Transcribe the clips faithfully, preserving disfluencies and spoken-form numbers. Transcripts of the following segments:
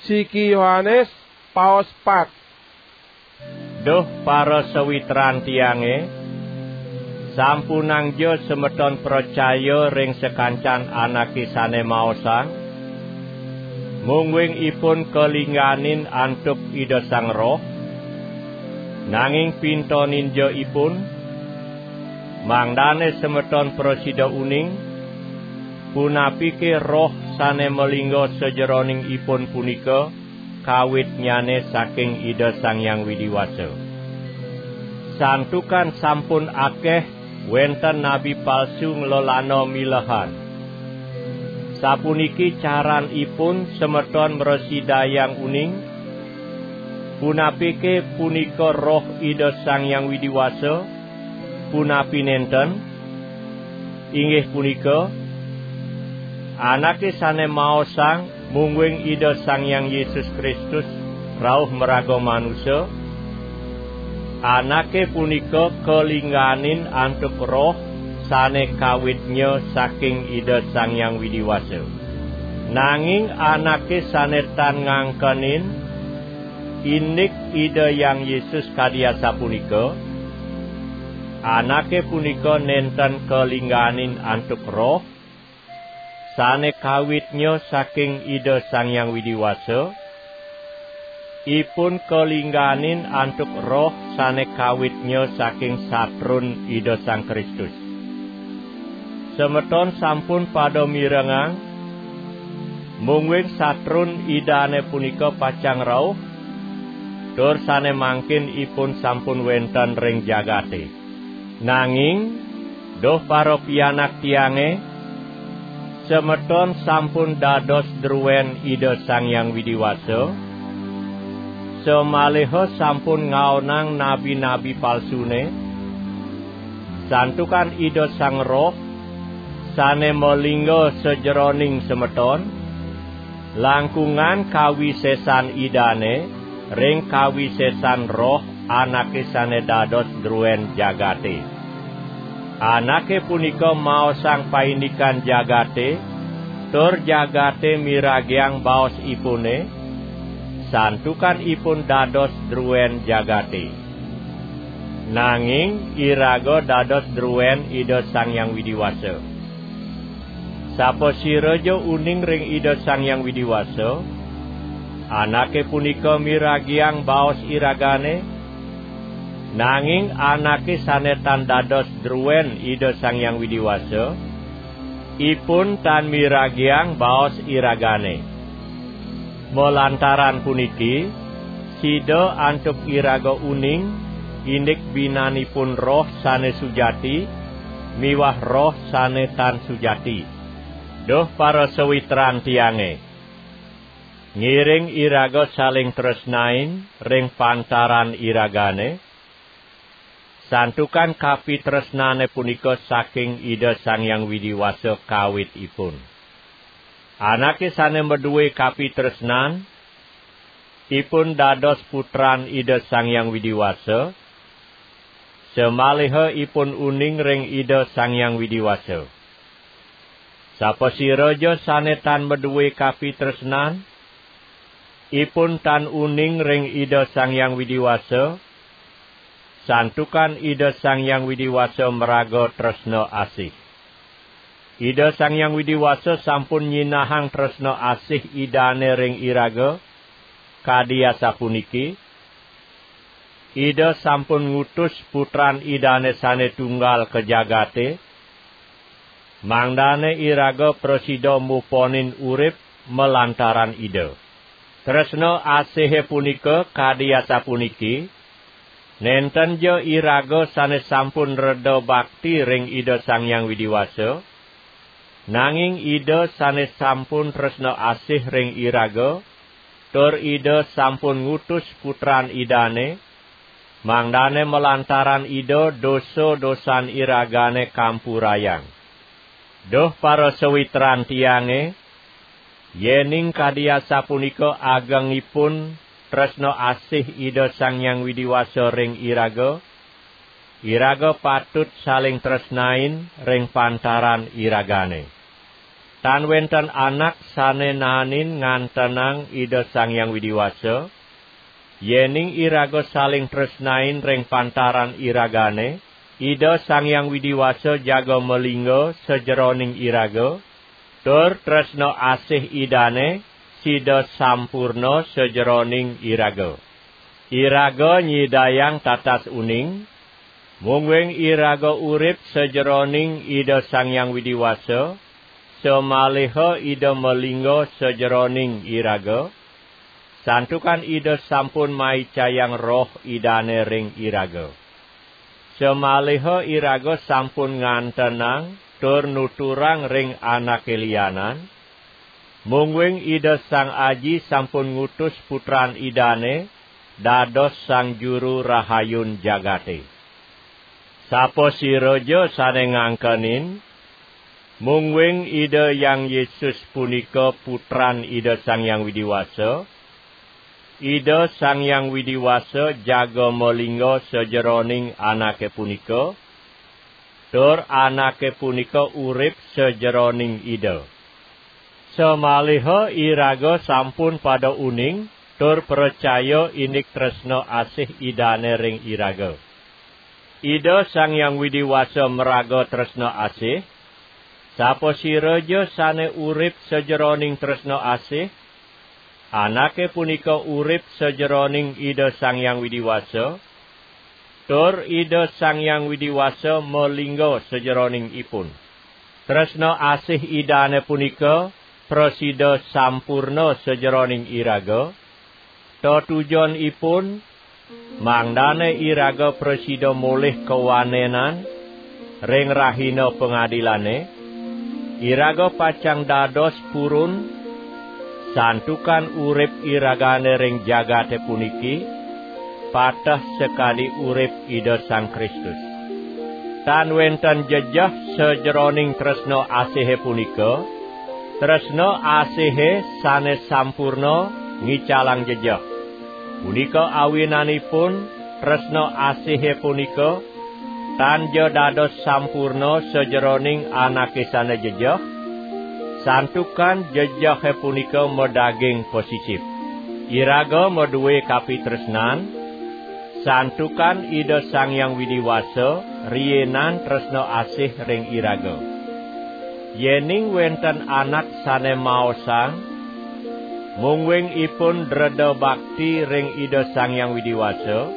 Siki Yohanes, paos pat. Duh para sawitran tiange, sampunangja semeton pracaya ring sakancan anake sane maosang, mungguing ipun kalingganin antuk Ida Sang Roh, nanging pintoninja ipun, mangdane semeton prasida uning, punapike Roh sane malingga sajeroning ipun punika kawitnyane saking Ida Sang Hyang Widi Wasa. Santukan sampun akeh wenten nabi palsu nglelana milehan. Sapuniki caranipun semeton mrasidayang uning, punapike punika Roh Ida Sang Hyang Widi Wasa, punapi nenten? Inggih punika, anake sane maosang mungguing Ida Sang Hyang Yesus Kristus rauh maraga manusa, anake punika kalingganin antuk Roh sane kawitnya saking Ida Sang Hyang Widi Wasa. Nanging anake sane tan ngangkenin indik Ida Hyang Yesus kadi asapunika, anake punika nenten kalingganin antuk Roh sane kawitnya saking Ida Sang Hyang Widi Wasa, ipun kalingganin antuk Roh sane kawitnya saking satrun Ida Sang Kristus. Semeton sampun pada mirengang, mungguing satrun Idane punika pacang rauh, tur sane mangkin ipun sampun wenten ring jagate. Nanging, duh para pianak tiange, semeton sampun dados druen Ida Sang Hyang Widi Wasa, samaliha sampun ngaonang nabi-nabi palsune, santukan Ida Sang Roh sane malingga sajeroning semeton, langkungan kawisesan Idane ring kawisesan Roh anake sane dados druen jagate. Anake punika maosang paindikan jagate, tur jagate miragiang baosipune, santukan ipun dados druen jagate. Nanging iraga dados druen Ida Sang Hyang Widi Wasa. Sapasiraja uning ring Ida Sang Hyang Widi Wasa, anake punika miragiang baos iragane, nanging anake sane tan dados druen Ida Sang Hyang Widi Wasa, ipun tan miragiang baos iragane. Malantaran puniki, sida antuk iraga uning, indik binanipun Roh sane sujati miwah roh sane tan sujati. Duh para sawitran tiange, ngiring iraga saling tresnain ring pantaran iragane, santukan kapitresnane punika saking Ida Sang Hyang Widi Wasa kawitipun. Anake sane madue kapitresnan, ipun dados putran Ida Sang Hyang Widi Wasa, samaliha ipun uning ring Ida Sang Hyang Widi Wasa. Sapasiraja sane tan madue kapitresnan, ipun tan uning ring Ida Sang Hyang Widi Wasa, santukan Ida Sang Hyang Widi Wasa maraga tresna asih. Ida Sang Hyang Widi Wasa sampun nyinahang tresna asih Idane ring iraga, kadi asapuniki, Ida sampun ngutus Putran Idane sane tunggal ka jagate, mangdane iraga prasida muponin urip malantaran Ida. Tresna asihe punika kadi asapuniki, nentenja iraga sane sampun reda bakti ring Ida Sang Hyang Widi Wasa, nanging Ida sane sampun tresna asih ring iraga, tur Ida sampun ngutus Putran Idane, mangdane malantaran Ida dosa-dosan iragane kampurayang. Duh para sawitran tiange, yening kadi asapunika agengipun tresna asih Ida Sang Hyang Widi Wasa ring iraga, iraga patut saling tresnain ring pantaran iragane. Tan wenten anak sane naenin ngantenang Ida Sang Hyang Widi Wasa, yening iraga saling tresnain ring pantaran iragane, Ida Sang Hyang Widi Wasa jaga malingga sajeroning iraga, tur tresna asih Idane sida sampurna sajeroning iraga. Iraga nyidayang tatas uning, mungguing iraga urip sajeroning Ida Sang Hyang Widi Wasa, samaliha Ida malingga sajeroning iraga, santukan Ida sampun maicayang Roh Idane ring iraga. Samaliha iraga sampun ngantenang tur nuturang ring anake lianan, mungguing Ida Sang Aji sampun ngutus Putran Idane dados Sang Juru Rahayun jagate. Sapasiraja sane ngangkenin, mungguing Ida Hyang Yesus punika Putran Ida Sang Hyang Widi Wasa, Ida Sang Hyang Widi Wasa jaga malingga sajeroning anake punika, tur anake punika urip sajeroning Ida. Samaliha iraga sampun pada uning tur pracaya indik tresna asih Idane ring iraga. Ida Sang Hyang Widi Wasa maraga tresna asih, sapasiraja sane urip sajeroning tresna asih, anake punika urip sajeroning Ida Sang Hyang Widi Wasa, tur Ida Sang Hyang Widi Wasa malingga sajeroning ipun. Tresna asih Idane punika prasida sampurna sajeroning iraga, tetujonipun mangdane iraga prasida molih kawanenan ring rahina pangadilane, iraga pacang dados purun, santukan urip iragane ring jagate puniki pateh sakadi urip Ida Sang Kristus. Tan wenten jejeh sajeroning tresna asihe punika, tresna asihe sane sampurna ngicalang jejeh. Punika awinanipun tresna asihe punika tan ja dados sampurna sajeroning anake sane jejeh, santukan jejehe punika madaging pasisip. Iraga madue kapitresnan, santukan Ida Sang Hyang Widi Wasa riinan tresna asih ring iraga. Yening wenten anak sane maosang, mungguing ipun dreda bakti ring Ida Sang Hyang Widi Wasa,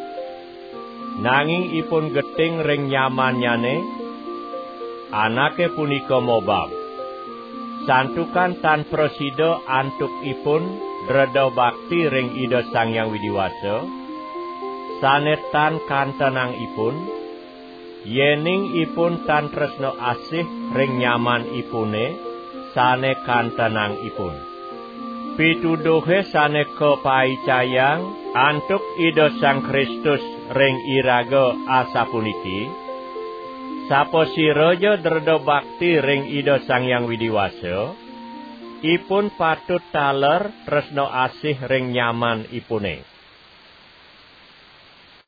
nanging ipun geting ring nyamannyane, anake punika mobab. Santukan tan prasida antuk ipun dreda bakti ring Ida Sang Hyang Widi Wasa, sane tan kantenang ipun, yening ipun tan tresna asih ring nyaman ipune, sane kantenang ipun. Pituduhe sane kapaicayang antuk Ida Sang Kristus ring iraga asapuniki: Sapasiraja dreda bakti ring Ida Sang Hyang Widi Wasa, ipun patut taler tresna asih ring nyaman ipune.